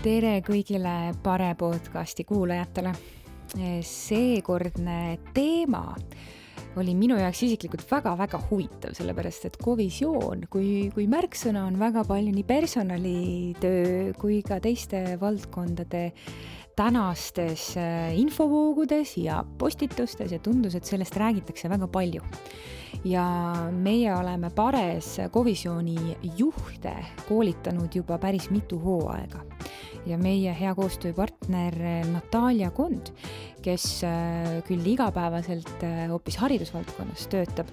Tere kõigile Pare podcasti kuulajatele. Seekordne teema oli minu jaoks isiklikult väga-väga huvitav, sellepärast et kovisioon kui märksõna on väga palju nii personalitöö kui ka teiste valdkondade tänastes infovoogudes ja postitustes ja tundus, et sellest räägitakse väga palju. Ja meie oleme Pares kovisiooni juhte koolitanud juba päris mitu hooaega. Ja meie hea koostööpartner Natalia Kond, kes küll igapäevaselt hoopis haridusvaldkonnas töötab,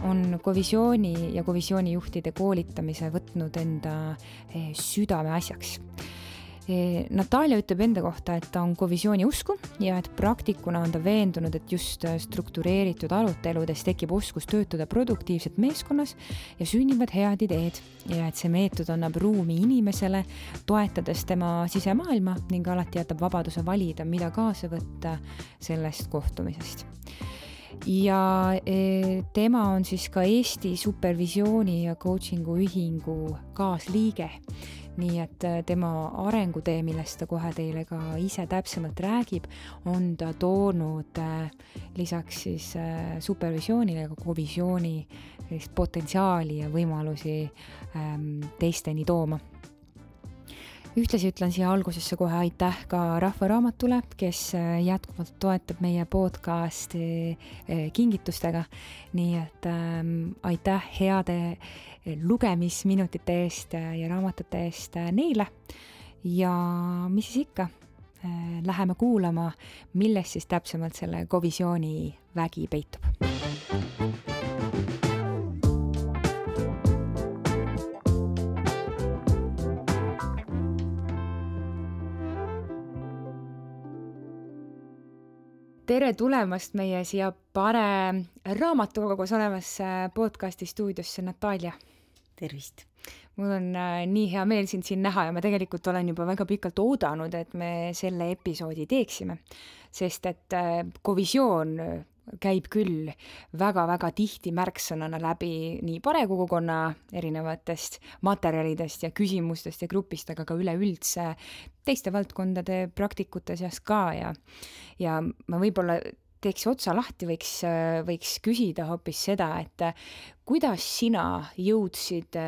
on kovisiooni ja kovisioonijuhtide koolitamise võtnud enda südame asjaks. Natalia ütleb enda kohta, et ta on kovisiooni usku ja et praktikuna on ta veendunud, et just struktureeritud aruteludes tekib oskus töötada produktiivselt meeskonnas ja sünnivad head ideed ja et see meetod annab ruumi inimesele, toetades tema sisemaailma ning alati jätab vabaduse valida, mida kaasa võtta sellest kohtumisest. Ja tema on siis ka Eesti supervisiooni ja coachingu ühingu kaasliige. Nii et tema arengutee, millest ta kohe teile ka ise täpsemalt räägib, on ta toonud lisaks siis supervisioonile ka kovisiooni potentsiaali ja võimalusi teisteni tooma. Ühtlasi ütlen siia algusesse kohe aitäh ka Rahvaraamatule, kes jätkuvalt toetab meie podcasti kingitustega. Nii et aitäh heade lugemisminutite eest ja raamatute eest neile. Ja mis siis ikka, läheme kuulama, milles siis täpsemalt selle kovisiooni vägi peitub. Tere tulemast meie siia Pare raamatukogus olevas podcasti stuudiosse, Natalia. Tervist. Mul on nii hea meel sind siin näha ja ma tegelikult olen juba väga pikalt oodanud, et me selle episoodi teeksime, sest et kovisioon käib küll väga-väga tihti märksõnana läbi nii parekogukonna erinevatest materjalidest ja küsimustest ja grupist, aga ka üleüldse teiste valdkondade praktikute seas ka ja ma võib-olla teeks otsa lahti, võiks küsida hoopis seda, et kuidas sina jõudsid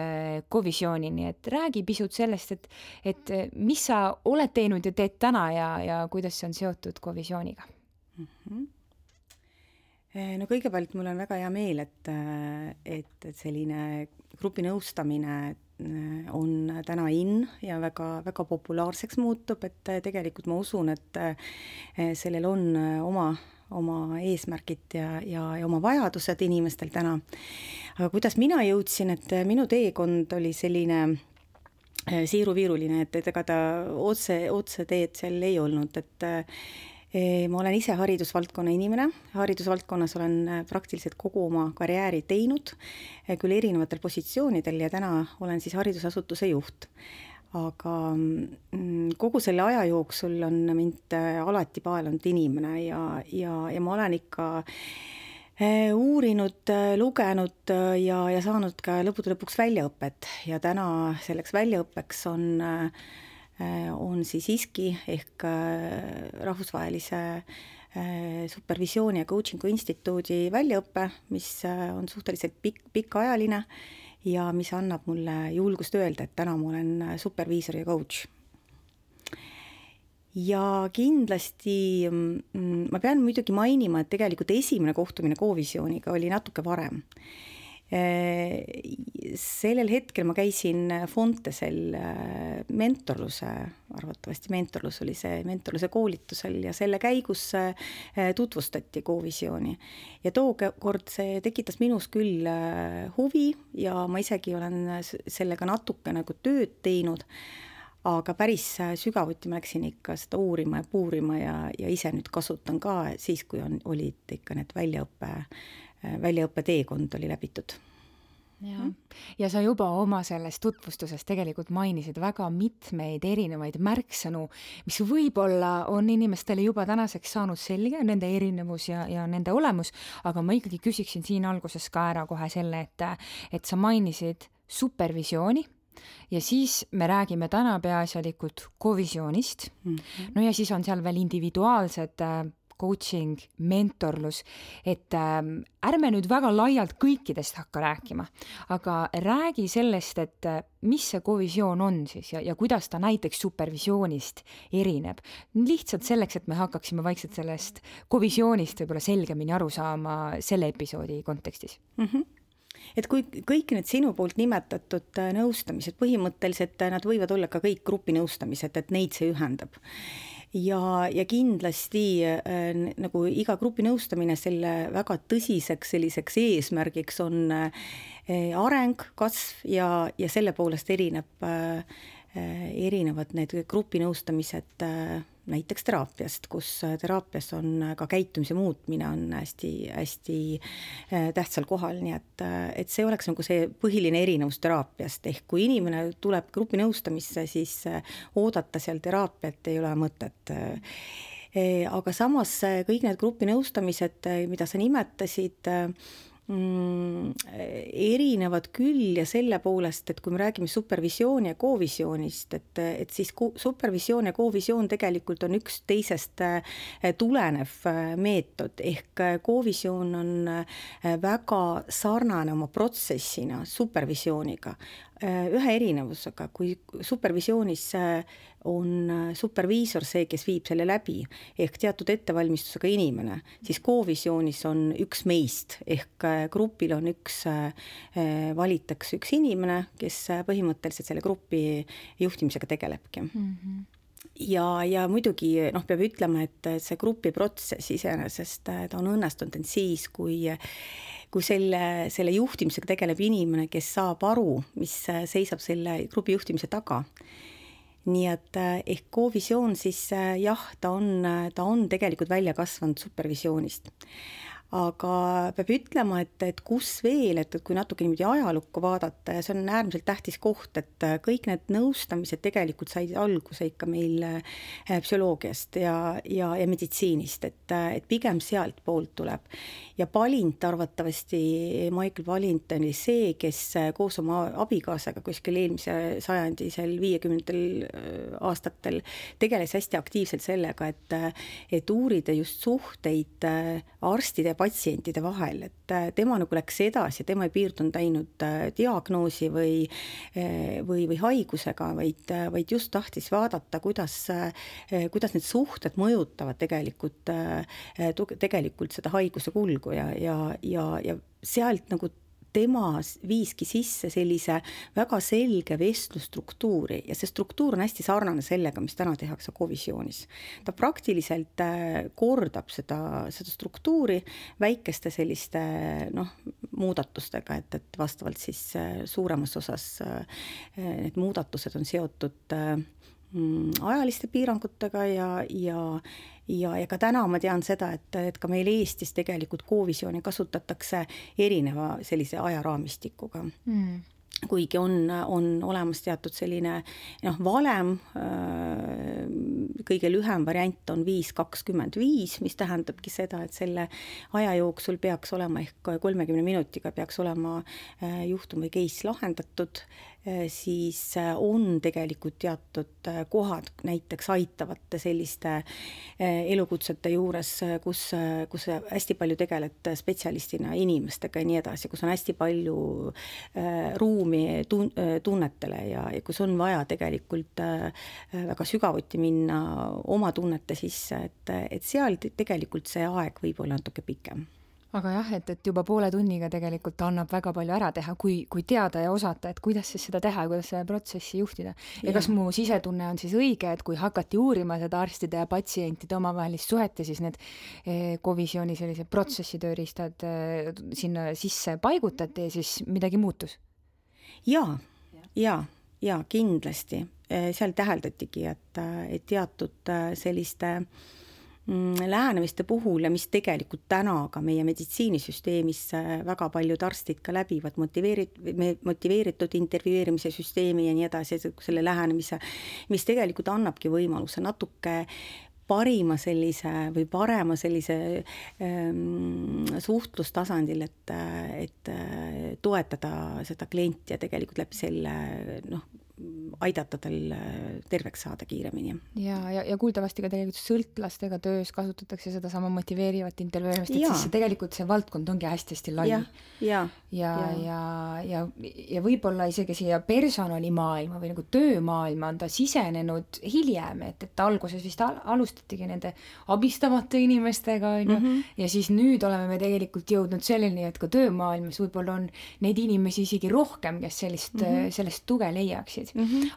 kovisioonini, et räägi pisut sellest, et mis sa oled teinud ja teed täna ja kuidas see on seotud kovisiooniga? No kõigepealt mul on väga hea meel, et selline grupinõustamine on täna ja väga, väga populaarseks muutub, et tegelikult ma usun, et sellel on oma eesmärgid ja oma vajadused inimestel täna. Aga kuidas mina jõudsin, et minu teekond oli selline siiruviiruline, et ega ta otse teed seal ei olnud, et ma olen ise haridusvaldkonna inimene, haridusvaldkonnas olen praktiliselt kogu oma karjääri teinud, küll erinevatel positsioonidel ja täna olen siis haridusasutuse juht. Aga kogu selle aja jooksul on mind alati paelanud inimene ja ma olen ikka uurinud, lugenud ja saanud ka lõppude lõpuks väljaõpet ja täna selleks väljaõppeks on siis ISKI ehk rahvusvahelise supervisiooni ja coachingu instituudi väljaõppe, mis on suhteliselt pikaajaline ja mis annab mulle julgust öelda, et täna ma olen superviisor ja coach. Ja kindlasti ma pean muidugi mainima, et tegelikult esimene kohtumine kovisiooniga oli natuke varem. Sellel hetkel ma käisin Fontesel arvatavasti mentorlus oli see mentorluse koolitusel ja selle käigus tutvustati kovisiooni. Ja tookord see tekitas minus küll huvi ja ma isegi olen sellega natuke nagu tööd teinud, aga päris sügavuti ma läksin ikka seda uurima ja puurima ja ise nüüd kasutan ka siis, kui olid ikka need väljaõppe teekond oli läbitud. Ja sa juba oma selles tutvustuses tegelikult mainisid väga mitmeid erinevaid märksõnu, mis võib-olla on inimestele juba tänaseks saanud selge, nende erinevus ja nende olemus, aga ma ikkagi küsiksin siin alguses ka ära kohe selle, et sa mainisid supervisiooni ja siis me räägime täna peaasjalikult kovisioonist. No ja siis on seal veel individuaalsed coaching, mentorlus, et ärme nüüd väga laialt kõikidest hakka rääkima, aga räägi sellest, et mis see kovisioon on siis ja kuidas ta näiteks supervisioonist erineb. Lihtsalt selleks, et me hakkaksime vaikselt sellest kovisioonist võib-olla selgemini aru saama selle episoodi kontekstis. Et kui kõik need sinu poolt nimetatud nõustamised, põhimõtteliselt nad võivad olla ka kõik grupinõustamised, et neid see ühendab. Ja kindlasti nagu iga grupinõustamine selle väga tõsiseks selliseks eesmärgiks on areng, kasv ja selle poolest erinevad need grupinõustamised näiteks teraapiast, kus teraapias on ka käitumise muutmine on hästi tähtsal kohal, nii et see oleks nagu see põhiline erinevus teraapiast, ehk kui inimene tuleb grupinõustamisse, siis oodata seal teraapiat ei ole mõtet. Aga samas kõik need grupinõustamised, mida sa nimetasid, erinevad küll ja selle poolest, et kui me räägime supervisiooni ja kovisioonist, et siis supervisioon ja kovisioon tegelikult on üks teisest tulenev meetod, ehk kovisioon on väga sarnane oma protsessina supervisiooniga. Ühe erinevusega, kui supervisioonis on superviisor see, kes viib selle läbi, ehk teatud ettevalmistusega inimene, siis koovisioonis on üks meist, ehk grupil on valitakse üks inimene, kes põhimõtteliselt selle grupi juhtimisega tegelebki. Ja muidugi peab ütlema, et see grupiprotsess iseenesest ta on õnnestunud siis, kui selle juhtimisega tegeleb inimene, kes saab aru, mis seisab selle grupi juhtimise taga. Nii et ehk kovisioon siis jah, ta on tegelikult välja kasvanud supervisioonist. Aga peab ütlema, et kus veel, et kui natuke niimoodi ajalukku vaadata, ja see on äärmiselt tähtis koht, et kõik need nõustamised tegelikult said alguse ikka meil psühholoogiast ja meditsiinist, et pigem sealt poolt tuleb. Ja Palint arvatavasti, Michael Palint oli see, kes koos oma abikaasaga kuskil eelmise sajandi 50. aastatel tegeles hästi aktiivselt sellega, et uurida just suhteid arstide ja patsientide vahel, et tema nagu läks edasi, tema ei piirdunud ainult diagnoosi või haigusega, vaid just tahtis vaadata, kuidas need suhted mõjutavad tegelikult seda haiguse kulgu ja sealt nagu tema viiski sisse sellise väga selge vestlusstruktuuri ja see struktuur on hästi sarnane sellega, mis täna tehakse kovisioonis. Ta praktiliselt kordab seda struktuuri väikeste selliste muudatustega, et vastavalt siis suuremas osas need muudatused on seotud ajaliste piirangutega ja ka täna ma tean seda, et ka meil Eestis tegelikult kovisiooni kasutatakse erineva sellise ajaraamistikuga. Kuigi on olemas teatud selline valem, kõige lühem variant on 5-25, mis tähendabki seda, et selle aja jooksul peaks olema ehk 30 minutiga peaks olema juhtum või case lahendatud, siis on tegelikult teatud kohad näiteks aitavate selliste elukutsete juures, kus hästi palju tegeled spetsialistina inimestega ja nii edasi, kus on hästi palju ruumi tunnetele ja kus on vaja tegelikult väga sügavuti minna oma tunnete sisse, et seal tegelikult see aeg võib olla natuke pikem. Aga jah, et juba poole tunniga tegelikult annab väga palju ära teha, kui teada ja osata, et kuidas siis seda teha ja kuidas seda protsessi juhtida. Ja kas mu sisetunne on siis õige, et kui hakati uurima seda arstide ja patsientide omavahelist suhet ja siis need kovisiooni sellised protsessitööriistad sinna sisse paigutati ja siis midagi muutus? Ja kindlasti. Seal täheldatigi, et teatud selliste lähenemiste puhul ja mis tegelikult täna ka meie meditsiinisüsteemis väga paljud arstid ka läbivad motiveeritud intervjueerimise süsteemi ja nii edasi, selle lähenemise, mis tegelikult annabki võimaluse natuke parima sellise või parema sellise suhtlustasandil, et toetada seda klienti ja tegelikult läbi selle aidata tal terveks saada kiiremini. Ja kuuldavasti ka tegelikult sõltlastega töös kasutatakse seda sama motiveerivat intervjueerimist, et siis tegelikult see valdkond ongi hästi-hästi lai. Ja võib-olla isegi siia personalimaailma või nagu töömaailma on ta sisenenud hiljem, et alguses vist alustatigi nende abistavate inimestega, ja siis nüüd oleme me tegelikult jõudnud selleni, et ka töömaailmas võib-olla on neid inimesi isegi rohkem, kes sellest tuge leiaksid.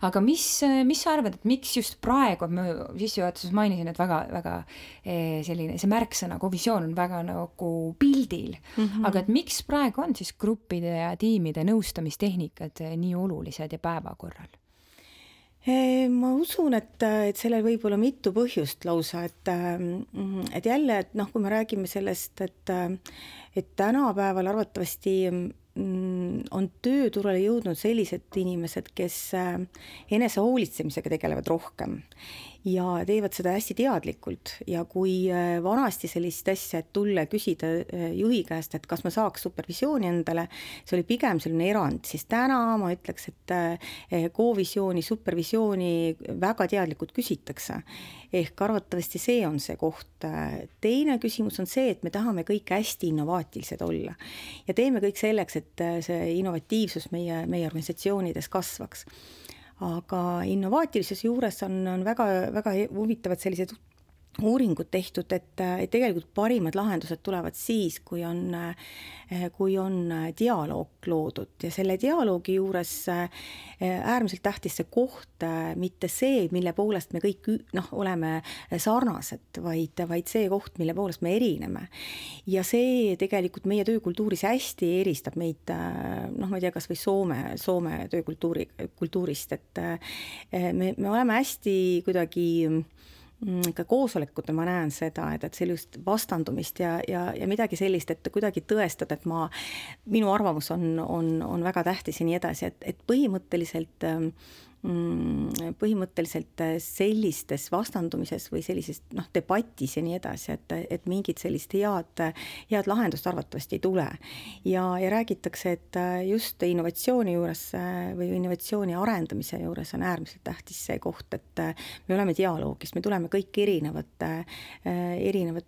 Aga mis sa arvad, et miks just praegu, ma sissejuhatuses mainisin, et väga selline, see märksõna kovisioon on väga nagu pildil, aga et miks praegu on siis gruppide ja tiimide nõustamistehnikad nii olulised ja päevakorral? Ma usun, et sellel võib olla mitu põhjust lausa, et jälle, et kui me räägime sellest, et tänapäeval arvatavasti on tööturule jõudnud sellised inimesed, kes enese hoolitsemisega tegelevad rohkem ja teevad seda hästi teadlikult. Ja kui vanasti sellist asja, et tulla küsida juhi käest, et kas ma saaks supervisiooni endale, see oli pigem selline erand, siis täna ma ütleks, et kovisiooni, supervisiooni väga teadlikult küsitakse. Ehk arvatavasti see on see koht. Teine küsimus on see, et me tahame kõik hästi innovaatilised olla ja teeme kõik selleks, et see innovatiivsus meie organisatsioonides kasvaks. Aga innovaatilisuse juures on väga, väga huvitavad sellised uuringud tehtud, et tegelikult parimad lahendused tulevad siis, kui on dialoog loodud ja selle dialoogi juures äärmiselt tähtis see koht, mitte see, mille poolest me kõik oleme sarnased, vaid see koht, mille poolest me erineme. Ja see tegelikult meie töökultuuris hästi eristab meid, ma ei tea, kas või Soome töökultuurist, et me oleme hästi kuidagi ka koosolekutel ma näen seda, et sellist vastandumist ja midagi sellist, et kuidagi tõestada, et minu arvamus on väga tähtis ja nii edasi, et põhimõtteliselt sellistes vastandumises või sellises debatis ja nii edasi, et mingit sellist head lahendust arvatavasti ei tule. Ja räägitakse, et just innovatsiooni juures või innovatsiooni arendamise juures on äärmiselt tähtis see koht, et me oleme dialoogis, me tuleme kõik erinevate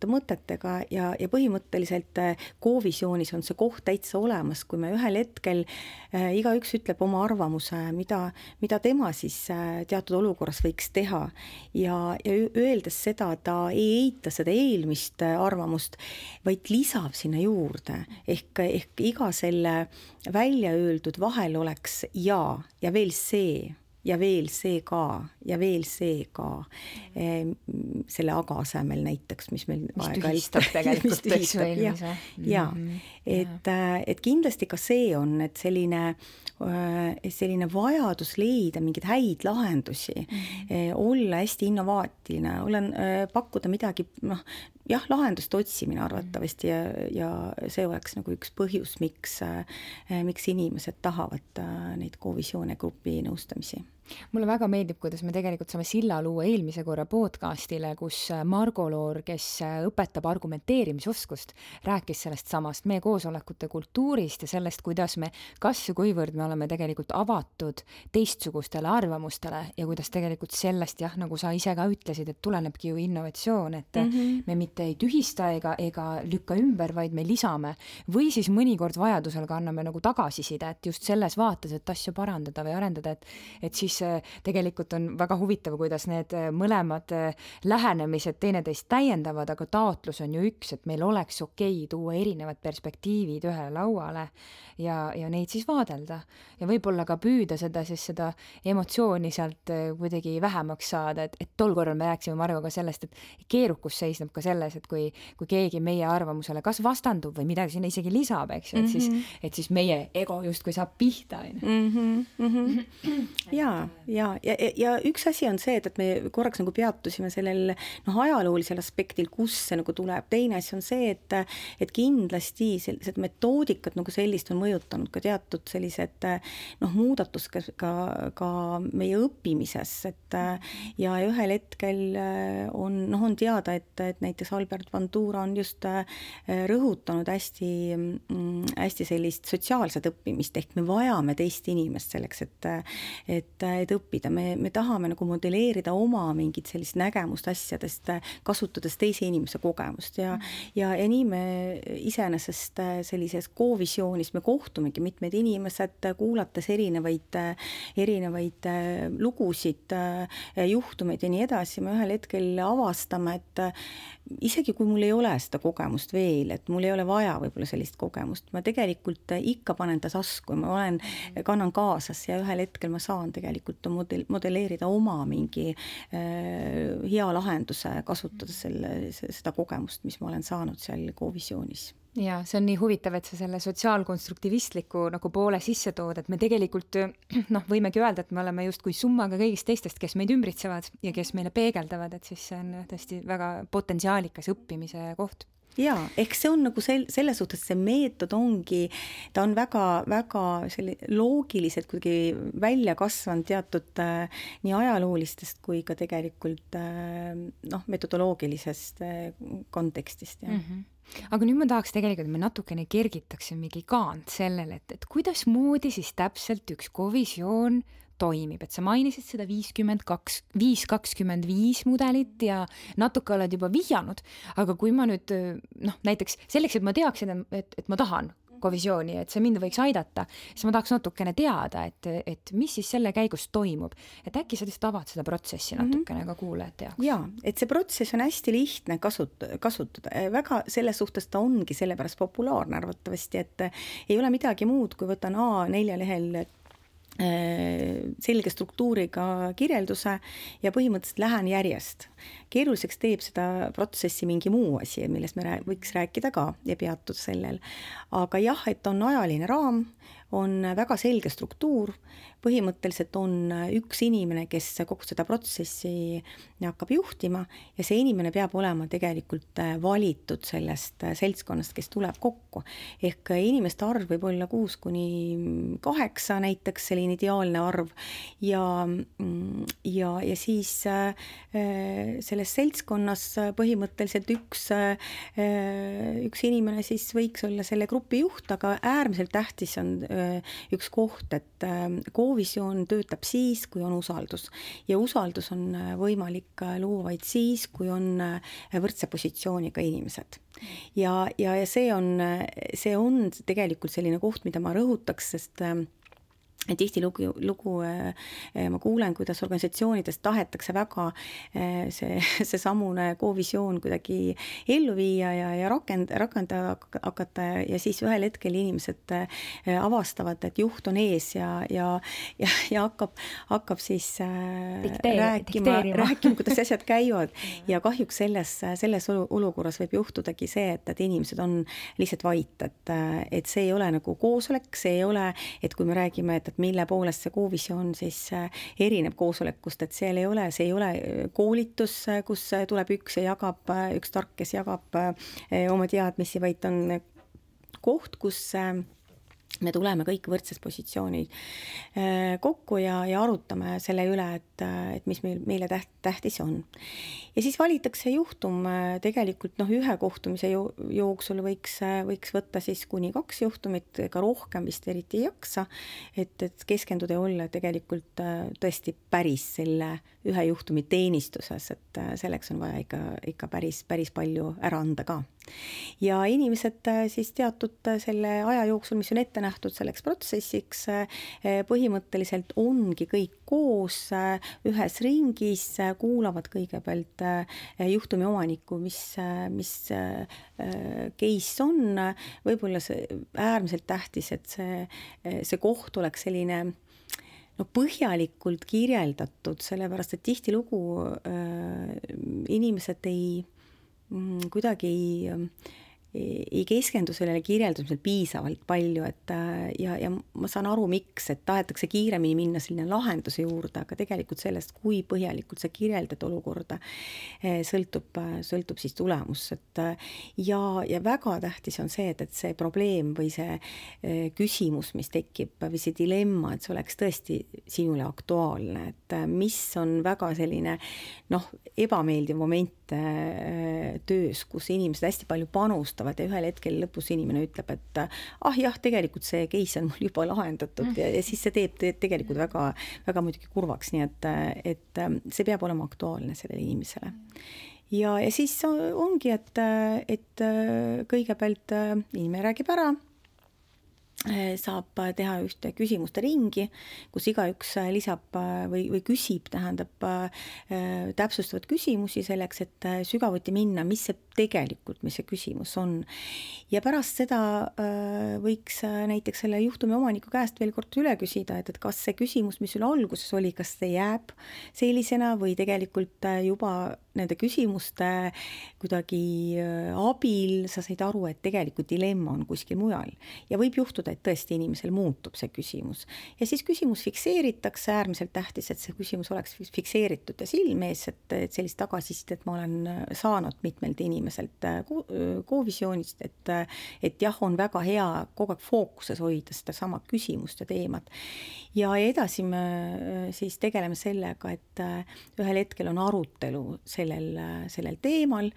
mõtetega ja põhimõtteliselt koovisioonis on see koht täitsa olemas, kui me ühel hetkel igaüks ütleb oma arvamuse, mida tema siis teatud olukorras võiks teha ja öeldes seda, ta ei eita seda eelmist arvamust, vaid lisab sinna juurde. Ehk iga selle välja öeldud vahel oleks ja veel see ja veel see ka ja veel see ka selle aga asemel näiteks, mis meil tühistab tegelikult et kindlasti ka see on, et selline vajadus leida mingeid häid lahendusi, olla hästi innovaatiline, pakkuda midagi, lahendust otsimine arvatavasti ja see oleks nagu üks põhjus, miks inimesed tahavad neid kovisioone grupi nõustamisi. Mulle väga meeldib, kuidas me tegelikult saame silla luua eelmise korra podcastile, kus Margo Loor, kes õpetab argumenteerimisoskust, rääkis sellest samast meie koosolekute kultuurist ja sellest, kuidas me kas ja kuivõrd me oleme tegelikult avatud teistsugustele arvamustele ja kuidas tegelikult sellest, nagu sa ise ka ütlesid, et tulenebki ju innovatsioon, et me mitte ei tühista ega lükka ümber, vaid me lisame või siis mõnikord vajadusel ka anname nagu tagasiside, et just selles vaates, et asju parandada või arendada, et siis tegelikult on väga huvitav, kuidas need mõlemad lähenemised teineteist täiendavad, aga taotlus on ju üks, et meil oleks okei tuua erinevad perspektiivid ühele lauale ja neid siis vaadelda. Ja võib-olla ka püüda seda emotsiooni sealt kuidagi vähemaks saada, et tol korral me rääksime Margoga sellest, et keerukus seisneb ka selles, et kui keegi meie arvamusele kas vastandub või midagi sinna isegi lisab, eks ju, et siis meie ego justkui saab pihta. Jaa. ja üks asi on see, et me korraks nagu peatusime sellel ajaloolisel aspektil, kus see nagu tuleb. Teine asi on see, et kindlasti sellised metoodikat nagu sellist on mõjutanud ka teatud sellised muudatus ka meie õppimises, ja ühel hetkel on teada, et näiteks Albert Bandura on just rõhutanud hästi sellist sotsiaalset õppimist, ehk me vajame teist inimest selleks, et õppida. Me tahame nagu modelleerida oma mingit sellist nägemust asjadest, kasutades teise inimese kogemust ja nii me iseenesest sellises koovisioonis me kohtumegi mitmed inimesed, kuulates erinevaid lugusid, juhtumeid ja nii edasi. Me ühel hetkel avastame, et isegi kui mul ei ole seda kogemust veel, et mul ei ole vaja võib-olla sellist kogemust, ma tegelikult ikka panen ta tasku, kannan kaasas ja ühel hetkel ma saan tegelikult modelleerida oma mingi hea lahenduse, kasutades seda kogemust, mis ma olen saanud seal koovisioonis. Ja see on nii huvitav, et sa selle sotsiaalkonstruktivistliku nagu poole sisse tood, et me tegelikult võimegi öelda, et me oleme justkui summaga kõigist teistest, kes meid ümbritsevad ja kes meile peegeldavad, et siis see on tõesti väga potentsiaalikas õppimise koht. Jaa, ehk see on nagu selles suhtes, see meetod ongi, ta on väga loogiliselt kuidagi välja kasvanud teatud nii ajaloolistest kui ka tegelikult metodoloogilisest kontekstist. Ja. Aga nüüd ma tahaks tegelikult, et me natukene kergitaksimegi kaant sellele, et kuidas moodi siis täpselt üks kovisioon toimib, et sa mainisid seda 5-25 mudelit ja natuke oled juba vihjanud, aga kui ma nüüd näiteks selleks, et ma teaksin, et ma tahan kovisiooni, et see mind võiks aidata, siis ma tahaks natukene teada, et mis siis selle käigus toimub. Et äkki sa lihtsalt avad seda protsessi natukene ka kuulajate jaoks? Jaa, et see protsess on hästi lihtne kasutada. Väga selles suhtes ta ongi sellepärast populaarne arvatavasti, et ei ole midagi muud, kui võtan A4 lehel selge struktuuriga kirjelduse ja põhimõtteliselt lähen järjest. Keeruliseks teeb seda protsessi mingi muu asi, millest me võiks rääkida ka ja peatud sellel. Aga jah, et on ajaline raam, on väga selge struktuur, põhimõtteliselt on üks inimene, kes kogu seda protsessi hakkab juhtima ja see inimene peab olema tegelikult valitud sellest seltskonnast, kes tuleb kokku. Ehk inimeste arv võib olla 6-8 näiteks, selline ideaalne arv ja siis selles seltskonnas põhimõtteliselt üks inimene siis võiks olla selle grupi juht, aga äärmiselt tähtis on üks koht, et kovisioon töötab siis, kui on usaldus. Ja usaldus on võimalik luua vaid siis, kui on võrdse positsiooniga inimesed. Ja see on tegelikult selline koht, mida ma rõhutaks, sest tihti lugu ma kuulen, kuidas organisatsioonides tahetakse väga see samune kovisioon kuidagi ellu viia ja rakendada hakata ja siis ühel hetkel inimesed avastavad, et juht on ees ja hakkab siis rääkima, kuidas asjad käivad ja kahjuks selles olukorras võib juhtudagi see, et inimesed on lihtsalt vait, et see ei ole nagu koosolek, see ei ole, et kui me räägime, et mille poolest see kovisioon siis erineb koosolekust, et see ei ole koolitus, kus tuleb üks tark, kes jagab oma teadmisi, vaid on koht, kus me tuleme kõik võrdses positsiooni kokku ja arutame selle üle, et mis meile tähtis on. Ja siis valitakse juhtum tegelikult ühe kohtumise jooksul võiks võtta siis kuni 2 juhtumit, ka rohkem vist eriti ei jaksa, et keskenduda ja olla tegelikult tõesti päris selle ühe juhtumi teenistuses, et selleks on vaja ikka päris palju ära anda ka. Ja inimesed siis teatud selle aja jooksul, mis on ette nähtud selleks protsessiks, põhimõtteliselt ongi kõik koos ühes ringis, kuulavad kõigepealt juhtumi omanikku, mis case on, võib-olla see äärmiselt tähtis, et see koht oleks selline põhjalikult kirjeldatud, sellepärast et tihtilugu inimesed kuidagi ei keskendu sellele kirjeldusel piisavalt palju, et ja ma saan aru, miks, et tahetakse kiiremini minna selline lahenduse juurde, aga tegelikult sellest, kui põhjalikult sa kirjeldad olukorda, sõltub siis tulemus, et ja väga tähtis on see, et see probleem või see küsimus, mis tekib, või see dilemma, et see oleks tõesti sinule aktuaalne, et mis on väga selline ebameeldiv moment töös, kus inimesed hästi palju panustavad ja ühel hetkel lõpus inimene ütleb, et jah, tegelikult see case on mul juba lahendatud ja siis see teeb tegelikult väga, väga muidugi kurvaks, nii et see peab olema aktuaalne sellele inimesele. Ja siis ongi, et kõigepealt inimene räägib ära, saab teha ühte küsimuste ringi, kus igaüks lisab või küsib, tähendab täpsustavad küsimusi selleks, et sügavuti minna, mis see küsimus on. Ja pärast seda võiks näiteks selle juhtumi omaniku käest veel kord üle küsida, et kas see küsimus, mis sul alguses oli, kas see jääb sellisena või tegelikult juba nende küsimuste kuidagi abil sa said aru, et tegelikult dilemma on kuskil mujal. Ja võib juhtuda, et tõesti inimesel muutub see küsimus. Ja siis küsimus fikseeritakse, äärmiselt tähtis, et see küsimus oleks fikseeritud ja silmees, et sellist tagasisidet ma olen saanud mitmelt inimeselt Covisionist, et jah, on väga hea kogu aeg fookuses hoida seda sama küsimust ja teemat. Ja edasi me siis tegeleme sellega, et ühel hetkel on arutelu sellel teemal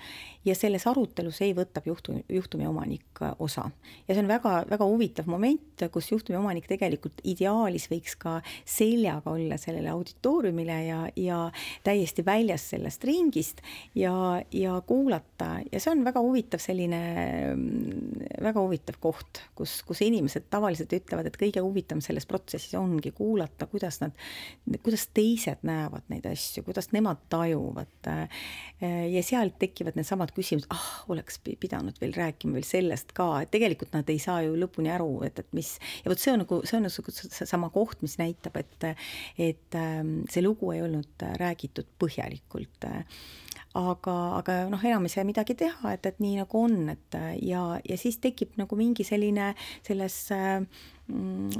ja selles arutelus ei võtab juhtumi omanik osa. Ja see on väga, väga huvitav moment, kus juhtumi omanik tegelikult ideaalis võiks ka seljaga olla sellele auditooriumile ja täiesti väljas sellest ringist ja kuulata. Ja see on väga huvitav väga huvitav koht, kus inimesed tavaliselt ütlevad, et kõige huvitavam selles protsessis ongi kuulata, kuidas teised näevad neid asju, kuidas nemad tajuvad. Ja sealt tekivad need samad küsimused, oleks pidanud veel rääkima veel sellest ka, et tegelikult nad ei saa ju lõpuni aru, et mis, ja võt see on sama koht, mis näitab, et see lugu ei olnud räägitud põhjalikult. Aga enam ei saa midagi teha, et nii nagu on, ja siis tekib nagu mingi selline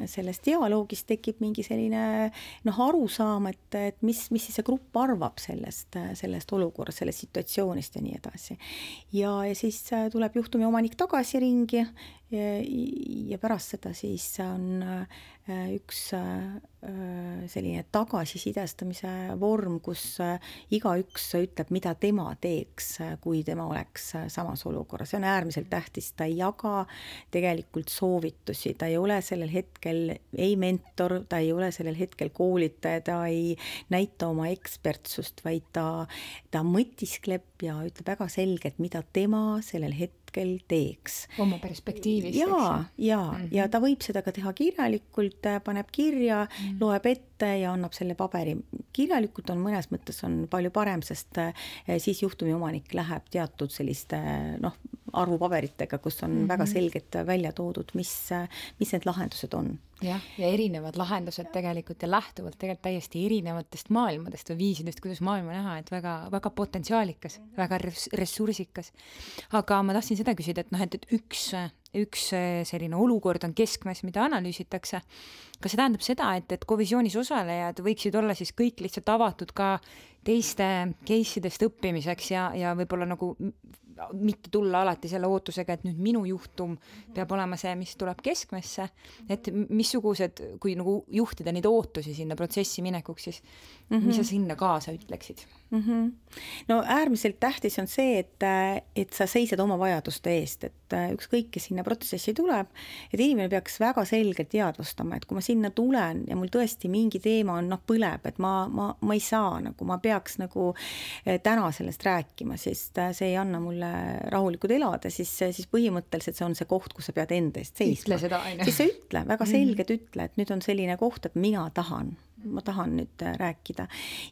selles dialoogis tekib mingi selline arusaam, et mis siis see grupp arvab sellest olukorrast, sellest situatsioonist ja nii edasi. Ja siis tuleb juhtumi omanik tagasi ringi ja pärast seda siis on üks selline tagasisidestamise vorm, kus igaüks ütleb, mida tema teeks, kui tema oleks samas olukorras. See on äärmiselt tähtis, ta ei jaga tegelikult soovitusi, ta ei ole sellel hetkel ei mentor, ta ei ole sellel hetkel koolitaja, ta ei näita oma ekspertsust, vaid ta mõtiskleb ja ütleb väga selgelt, mida tema sellel hetkel teeks. Oma perspektiivist. Ja ta võib seda ka teha kirjalikult, paneb kirja, loeb ette ja annab selle paberi. Kirjalikult on mõnes mõttes on palju parem, sest siis juhtumi omanik läheb teatud selliste arvupaberitega, kus on väga selgelt välja toodud, mis need lahendused on. Ja erinevad lahendused tegelikult ja lähtuvalt tegelikult täiesti erinevatest maailmadest või viisidest, kuidas maailma näha, et väga, väga potentsiaalikas, väga ressursikas. Aga ma tahtsin seda küsida, et üks selline olukord on keskmes, mida analüüsitakse. Kas see tähendab seda, et Covisionis osalejad võiksid olla siis kõik lihtsalt avatud ka teiste case'idest õppimiseks ja võib-olla nagu mitte tulla alati selle ootusega, et nüüd minu juhtum peab olema see, mis tuleb keskmesse, et missugused, kui nagu juhtida neid ootusi sinna protsessi minekuks, siis mis sa sinna kaasa ütleksid? No äärmiselt tähtis on see, et sa seisad oma vajaduste eest, et ükskõik, kes sinna protsessi tuleb, et inimene peaks väga selgelt teadvustama, et kui ma sinna tulen ja mul tõesti mingi teema on põleb, et ma ei saa, ma peaks täna sellest rääkima, sest see ei anna mulle rahulikult elada, siis põhimõtteliselt see on see koht, kus sa pead enda eest seisma. Ütle seda, aine. Siis sa ütle, väga selgelt ütle, et nüüd on selline koht, et mina tahan ma tahan nüüd rääkida.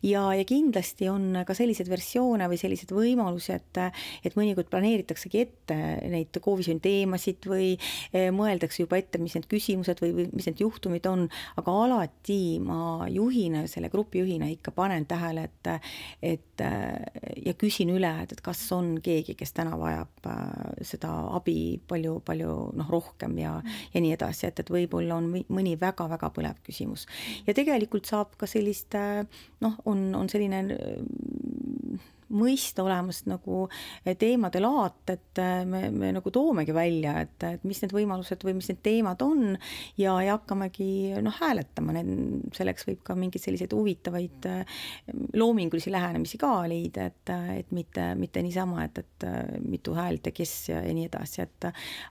Ja kindlasti on ka sellised versioone või sellised võimalusi, et mõnikord planeeritaksegi ette neid koovisjoni teemasid või mõeldakse juba ette, mis need küsimused või mis need juhtumid on, aga alati ma juhina, selle grupi juhina ikka panen tähele, et ja küsin üle, et kas on keegi, kes täna vajab seda abi palju rohkem ja nii edasi, et võib-olla on mõni väga-väga põlev küsimus. Ja tegelikult saab ka sellist, on selline mõista olemas nagu teemade laat, et me nagu toomegi välja, et mis need võimalused või mis need teemad on ja hakkamegi hääletama. Selleks võib ka mingeid selliseid huvitavaid loomingulisi lähenemisi ka leida, et mitte niisama, et mitu häält ja kes ja nii edasi,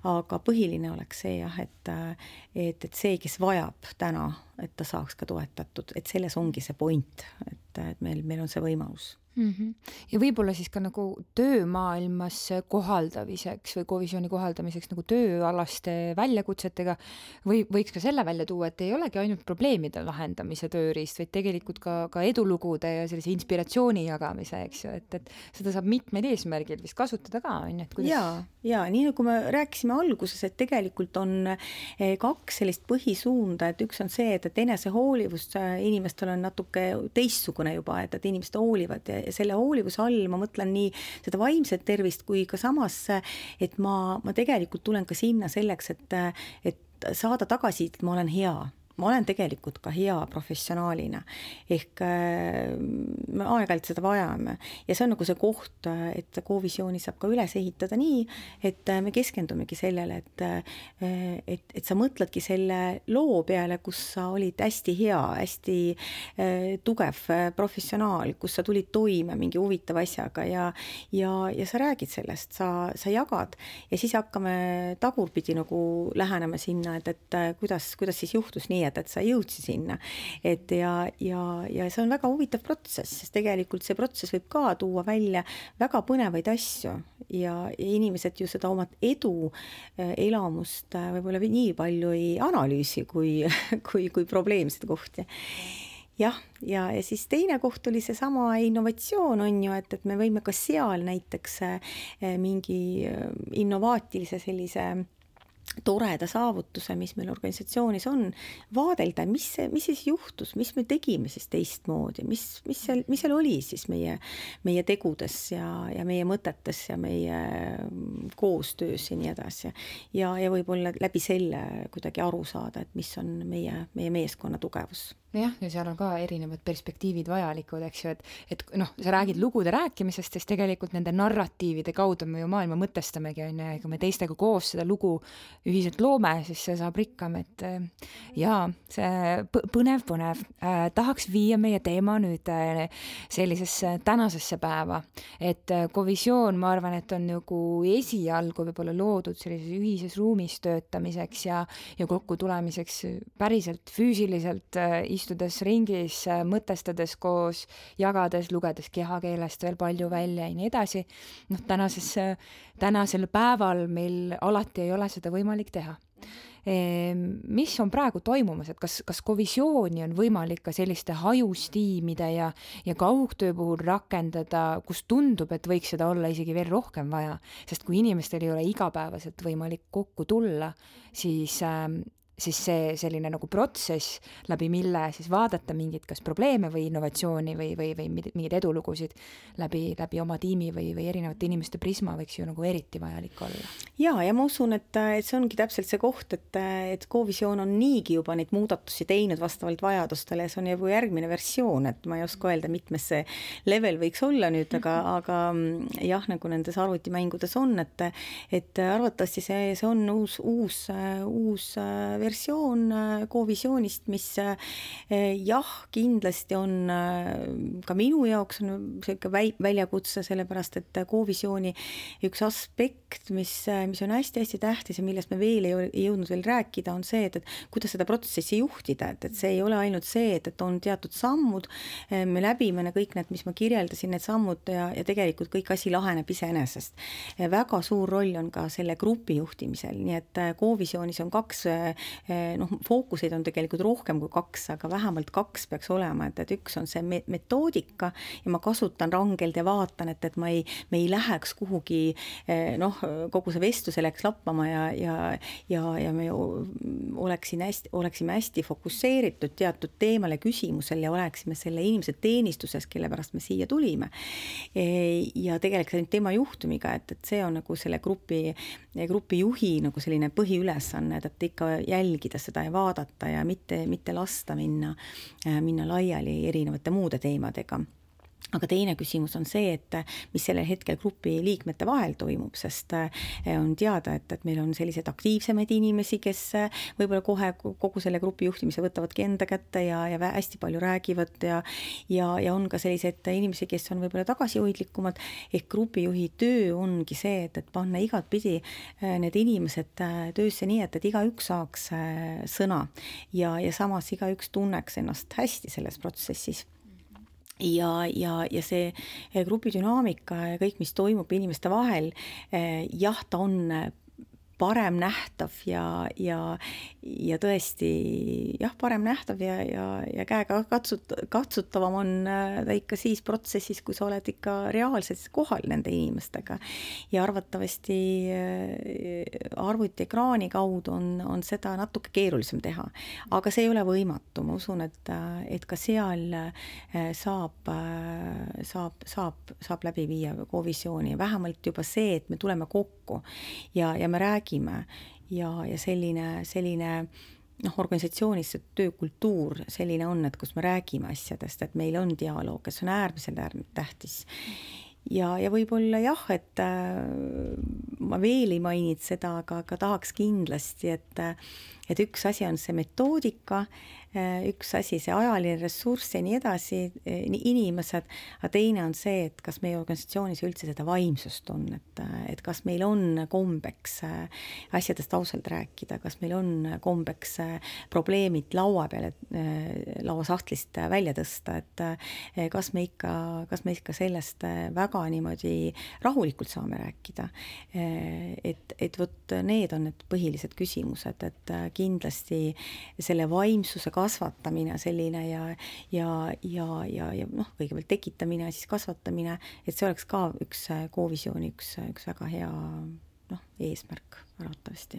aga põhiline oleks see jah, et see, kes vajab täna, et ta saaks ka toetatud, et selles ongi see point, et meil on see võimalus. Ja võib-olla siis ka nagu töömaailmas kohaldamiseks või koovisjoni kohaldamiseks nagu tööalaste väljakutsetega võiks ka selle välja tuua, et ei olegi ainult probleemide lahendamise tööriist, vaid tegelikult ka edulugude ja sellise inspiratsiooni jagamise, eks ju, et seda saab mitmeid eesmärgil vist kasutada ka, on ju, et kuidas... Ja nii nagu me rääkisime alguses, et tegelikult on kaks sellist põhisuunda, et üks on see, et enesehoolivus inimestel on natuke teistsugune juba, et inimesed hoolivad ja selle hoolivuse all ma mõtlen nii seda vaimset tervist kui ka samas, et ma tegelikult tulen ka sinna selleks, et saada tagasi, et ma olen hea. Ma olen tegelikult ka hea professionaalina. Ehk me aeg-ajalt seda vajame. Ja see on nagu see koht, et koovisjooni saab ka üles ehitada nii, et me keskendumegi sellele, et sa mõtledki selle loo peale, kus sa olid hästi hea, hästi tugev professionaal, kus sa tulid toime mingi huvitava asjaga ja sa räägid sellest, sa jagad ja siis hakkame tagurpidi nagu lähenema sinna, et kuidas siis juhtus nii, et sa jõudsi sinna. Ja see on väga huvitav protsess, sest tegelikult see protsess võib ka tuua välja väga põnevaid asju ja inimesed ju seda oma edu elamust võib-olla nii palju ei analüüsi kui probleemsed kohti. Ja siis teine koht oli see sama innovatsioon on ju, et me võime ka seal näiteks mingi innovaatilise sellise toreda saavutuse, mis meil organisatsioonis on, vaadelda, mis siis juhtus, mis me tegime siis teistmoodi, mis seal oli siis meie tegudes ja meie mõtetes ja meie koostöös ja nii edasi. Ja võib-olla läbi selle kuidagi aru saada, et mis on meie meeskonna tugevus. Jah, ja seal on ka erinevad perspektiivid vajalikud, eks ju, et sa räägid lugude rääkimisest, sest tegelikult nende narratiivide kaudu me ju maailma mõtestamegi, on ja kui me teistega koos seda lugu ühiselt loome, siis see saab rikkam, et see põnev. Tahaks viia meie teema nüüd sellisesse tänasesse päeva, et koovisjoon, ma arvan, et on nagu esialgu võib-olla loodud sellises ühises ruumis töötamiseks ja kokku tulemiseks päriselt füüsiliselt istudes ringis, mõtestades koos, jagades, lugedes kehakeelest veel palju välja ja nii edasi. Tänasel päeval meil alati ei ole seda võimalik teha. Mis on praegu toimumas, et kas koovisjooni on võimalik ka selliste hajustiimide ja kaugtöö puhul rakendada, kus tundub, et võiks seda olla isegi veel rohkem vaja, sest kui inimestel ei ole igapäevaselt võimalik kokku tulla, siis see selline nagu protsess, läbi mille siis vaadata mingit kas probleeme või innovatsiooni või mingeid edulugusid läbi oma tiimi või erinevate inimeste prisma võiks ju nagu eriti vajalik olla. Ja ma usun, et see ongi täpselt see koht, et koovisjoon on niigi juba neid muudatusi teinud vastavalt vajadustele ja see on juba järgmine versioon, et ma ei oska öelda, mitmes see level võiks olla nüüd, aga jah, nagu nendes arvutimängudes on, et arvatavasti see on uus versioon koovisjoonist, mis jah, kindlasti on ka minu jaoks on selline väljakutse, sellepärast, et koovisjooni üks aspekt, mis on hästi-hästi tähtis ja millest me veel ei jõudnud veel rääkida, on see, et kuidas seda protsessi juhtida, et see ei ole ainult see, et on teatud sammud, me läbime kõik need, mis ma kirjeldasin, need sammud ja tegelikult kõik asi laheneb iseenesest. Väga suur roll on ka selle grupi juhtimisel, nii et koovisjoonis on kaks fookuseid on tegelikult rohkem kui 2, aga vähemalt 2 peaks olema, et üks on see metoodika ja ma kasutan rangelt ja vaatan, et me ei läheks kuhugi, kogu see vestluse läks lappama ja me oleksime hästi fokusseeritud teatud teemale, küsimusel ja oleksime selle inimese teenistuses, kelle pärast me siia tulime. Ja tegelikult teema juhtumiga, et see on nagu selle grupi juhi nagu selline põhiülesanne, et ikka jälgida seda ja vaadata ja mitte lasta minna laiali erinevate muude teemadega. Aga teine küsimus on see, et mis sellel hetkel grupi liikmete vahel toimub, sest on teada, et meil on sellised aktiivsemaid inimesi, kes võib-olla kohe kogu selle grupi juhtimise võtavadki enda kätte ja hästi palju räägivad ja on ka sellised inimesi, kes on võib-olla tagasihoidlikumad, ehk grupijuhi töö ongi see, et panna igatpidi need inimesed töösse nii, et igaüks saaks sõna ja samas igaüks tunneks ennast hästi selles protsessis. Ja see grupi dünaamika ja kõik, mis toimub inimeste vahel, jah, ta on parem nähtav ja tõesti parem nähtav ja käega katsutavam on ta ikka siis protsessis, kui sa oled ikka reaalselt kohal nende inimestega. Ja arvatavasti arvutiekraani kaudu on seda natuke keerulisem teha. Aga see ei ole võimatu. Ma usun, et ka seal saab läbi viia kovisiooni. Vähemalt juba see, et me tuleme kokku ja me räägime ja selline organisatsioonis töökultuur selline on, et kus me räägime asjadest, et meil on dialoog, kes on äärmiselt tähtis. Ja võib-olla et ma veel ei maininud seda, aga tahaks kindlasti, et üks asi on see metoodika, üks asi see ajaline ressurss ja nii edasi, inimesed, aga teine on see, et kas meie organisatsioonis üldse seda vaimsust on, et kas meil on kombeks asjadest ausalt rääkida, kas meil on kombeks probleemid laua peale, lauasahtlist välja tõsta, et kas me ikka sellest väga niimoodi rahulikult saame rääkida. Et võt need on need põhilised küsimused, et kindlasti selle vaimsuse kasvatamine selline ja kõigepealt tekitamine ja siis kasvatamine, et see oleks ka üks kovisiooni, üks väga hea eesmärk arvatavasti.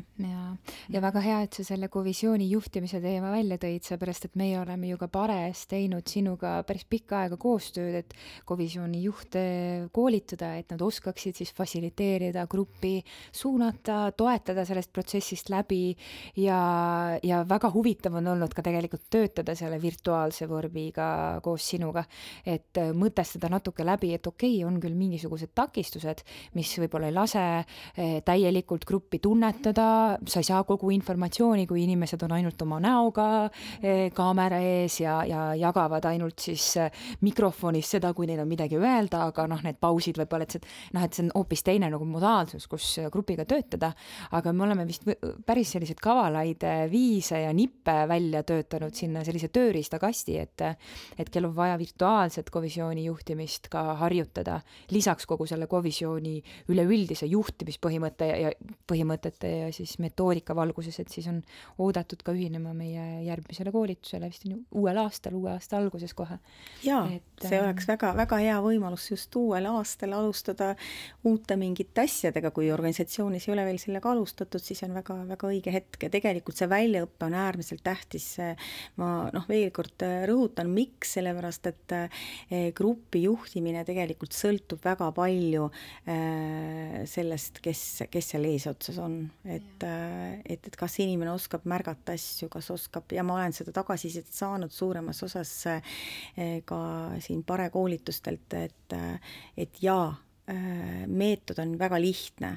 Ja väga hea, et sa selle kovisiooni juhtimise teema välja tõid, seepärast, et meie oleme ju ka pares teinud sinuga päris pikka aega koostööd, et kovisiooni juhte koolitada, et nad oskaksid siis fasiliteerida gruppi, suunata, toetada sellest protsessist läbi ja väga huvitav on olnud ka tegelikult töötada selle virtuaalse vormiga koos sinuga, et mõtestada natuke läbi, et on küll mingisugused takistused, mis võib-olla ei lase täielikult gruppi tunnetada, sa ei saa kogu informatsiooni, kui inimesed on ainult oma näoga kaamera ees ja jagavad ainult siis mikrofonis seda, kui neil on midagi öelda, aga need pausid võib-olla, et see on hoopis teine nagu modaalsus, kus grupiga töötada, aga me oleme vist päris sellised kavalaid viise ja nippe välja töötanud sinna sellise tööriistakasti, et kel on vaja virtuaalset kovisiooni juhtimist ka harjutada, lisaks kogu selle kovisiooni üleüldise juhtimispõhimõtte ja siis metoodika valguses, et siis on oodatud ka ühinema meie järgmisele koolitusele vist uue aasta alguses kohe. Jaa, see oleks väga hea võimalus just uuel aastal alustada uute mingite asjadega, kui organisatsioonis ei ole veel sellega alustatud, siis on väga õige hetk ja tegelikult see väljaõppe on äärmiselt tähtis. Ma veel kord rõhutan, miks, sellepärast, et grupi juhtimine tegelikult sõltub väga palju sellest, kes seal eesotsas on, et kas inimene oskab märgata asju, kas oskab, ja ma olen seda tagasisidet saanud suuremas osas ka siin parekoolitustelt, et meetod on väga lihtne,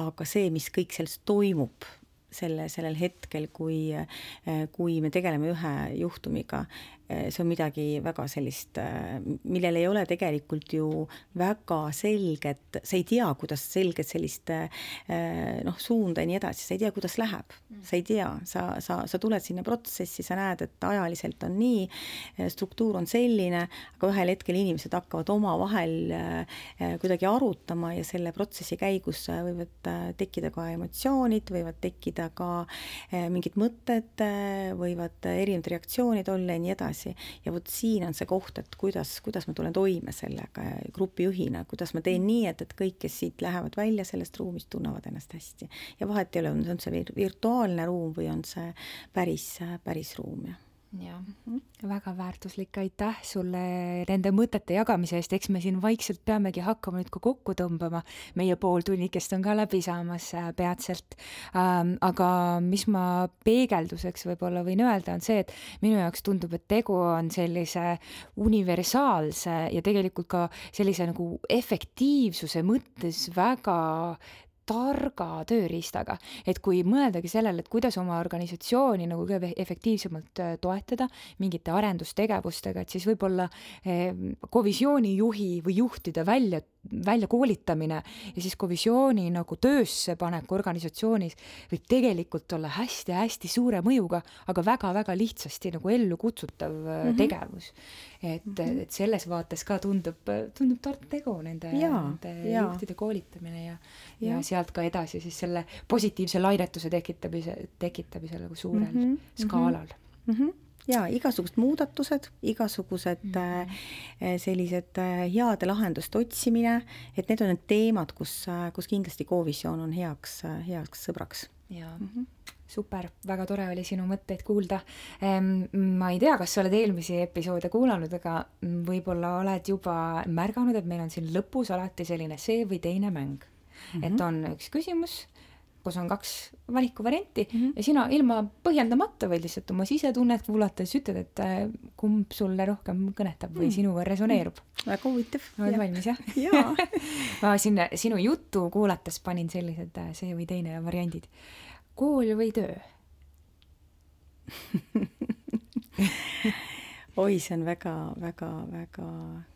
aga see, mis kõik sellest toimub sellel hetkel, kui me tegeleme ühe juhtumiga, see on midagi väga sellist, millel ei ole tegelikult ju väga selget, sa ei tea, kuidas selget sellist suunda ja nii edasi, sa ei tea, kuidas läheb, sa ei tea, sa tuled sinna protsessi, sa näed, et ajaliselt on nii, struktuur on selline, aga ühel hetkel inimesed hakkavad omavahel kuidagi arutama ja selle protsessi käigus võivad tekkida ka emotsioonid, võivad tekkida ka mingid mõtted, võivad erinevad reaktsioonid olla ja nii edasi. Ja vot siin on see koht, et kuidas ma tulen toime sellega grupijuhina, kuidas ma teen nii, et kõik, kes siit lähevad välja sellest ruumist, tunnevad ennast hästi. Ja vahet ei ole, on see virtuaalne ruum või on see päris ruum. Ja, väga väärtuslik, aitäh sulle nende mõtete jagamise eest, eks me siin vaikselt peamegi hakkama nüüd ka kokku tõmbama, meie pooltunnikest on ka läbi saamas peatselt, aga mis ma peegelduseks võib-olla võin öelda, on see, et minu jaoks tundub, et tegu on sellise universaalse ja tegelikult ka sellise nagu efektiivsuse mõttes väga targa tööriistaga, et kui mõeldagi sellele, et kuidas oma organisatsiooni nagu efektiivsemalt toetada mingite arendustegevustega, et siis võib-olla kovisioonijuhi või juhtide välja koolitamine ja siis kovisiooni nagu töösse panek organisatsioonis võib tegelikult olla hästi-hästi suure mõjuga, aga väga-väga lihtsasti nagu ellu kutsutav tegevus. Et selles vaates ka tundub tark tegu nende juhtide koolitamine ja sealt ka edasi siis selle positiivse lainetuse tekitamisele nagu suurel skaalal. Ja igasugused muudatused, igasugused sellised heade lahenduste otsimine, et need on need teemad, kus kindlasti kovisioon on heaks sõbraks. Ja. Super, väga tore oli sinu mõtteid kuulda. Ma ei tea, kas sa oled eelmisi episoode kuulanud, aga võib-olla oled juba märganud, et meil on siin lõpus alati selline see või teine mäng. Et on üks küsimus, kus on 2 valikuvarianti ja sina ilma põhjendamata või lihtsalt oma sisetunnet kuulates ütled, et kumb sulle rohkem kõnetab või sinuga resoneerub. Väga huvitav. Oled valmis, jah? Jaa. Ma sinu juttu kuulates panin sellised see või teine variandid. Kool või töö? Oi, see on väga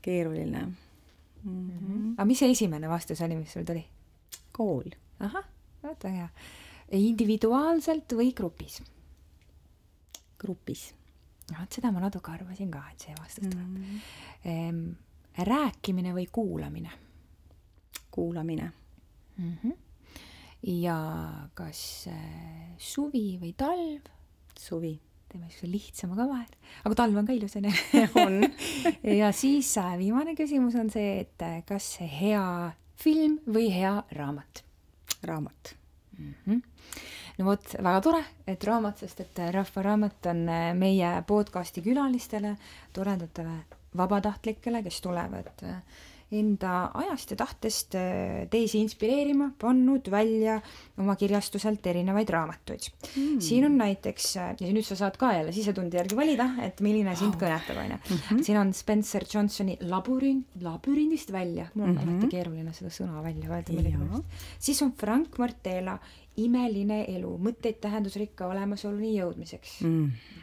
keeruline. Aga mis see esimene vastus oli, mis sul tuli? Kool. Ahah, vaata hea. Individuaalselt või grupis? Grupis. Seda ma natuke arvasin ka, et see vastus tuleb. Rääkimine või kuulamine? Kuulamine. Ja kas suvi või talv? Suvi. Teeme lihtsama ka vahel. Aga talv on ka ilus, on? Ja siis viimane küsimus on see, et kas hea film või hea raamat? Raamat. No vot, väga tore, et raamat, sest et Rahva Raamat on meie podcasti külalistele, toredatele vabatahtlikele, kes tulevad enda ajast ja tahtest teisi inspireerima, pannud välja oma kirjastuselt erinevaid raamatuid. Siin on näiteks, ja nüüd sa saad ka jälle sisetundi järgi valida, et milline sind kõnetab, on. Siin on Spencer Johnsoni labürindist välja. Mul on alati keeruline seda sõna välja öelda. Siis on Frank Martela Imeline elu, mõtteid tähendusrikka olemasoluni jõudmiseks.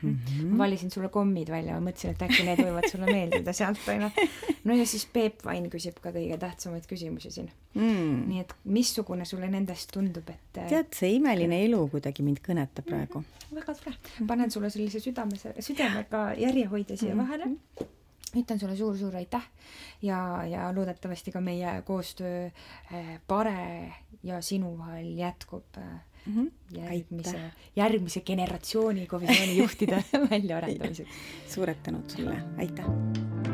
Ma valisin sulle kommid välja, ma mõtlesin, et äkki need võivad sulle meeldida sealt aina. No ja siis Peep Vain küsib ka kõige tähtsamaid küsimusi siin. Nii et missugune sulle nendest tundub, et... Tead, see Imeline elu kuidagi mind kõnetab praegu. Väga tore. Panen sulle sellise südamega järjehoidja siia vahele. Ütlen sulle suur aitäh ja loodetavasti ka meie koostöö Pare ja sinu vahel jätkub järgmise generatsiooni kovisiooni juhtide väljaarendamiseks. Suured tänud sulle, aitäh!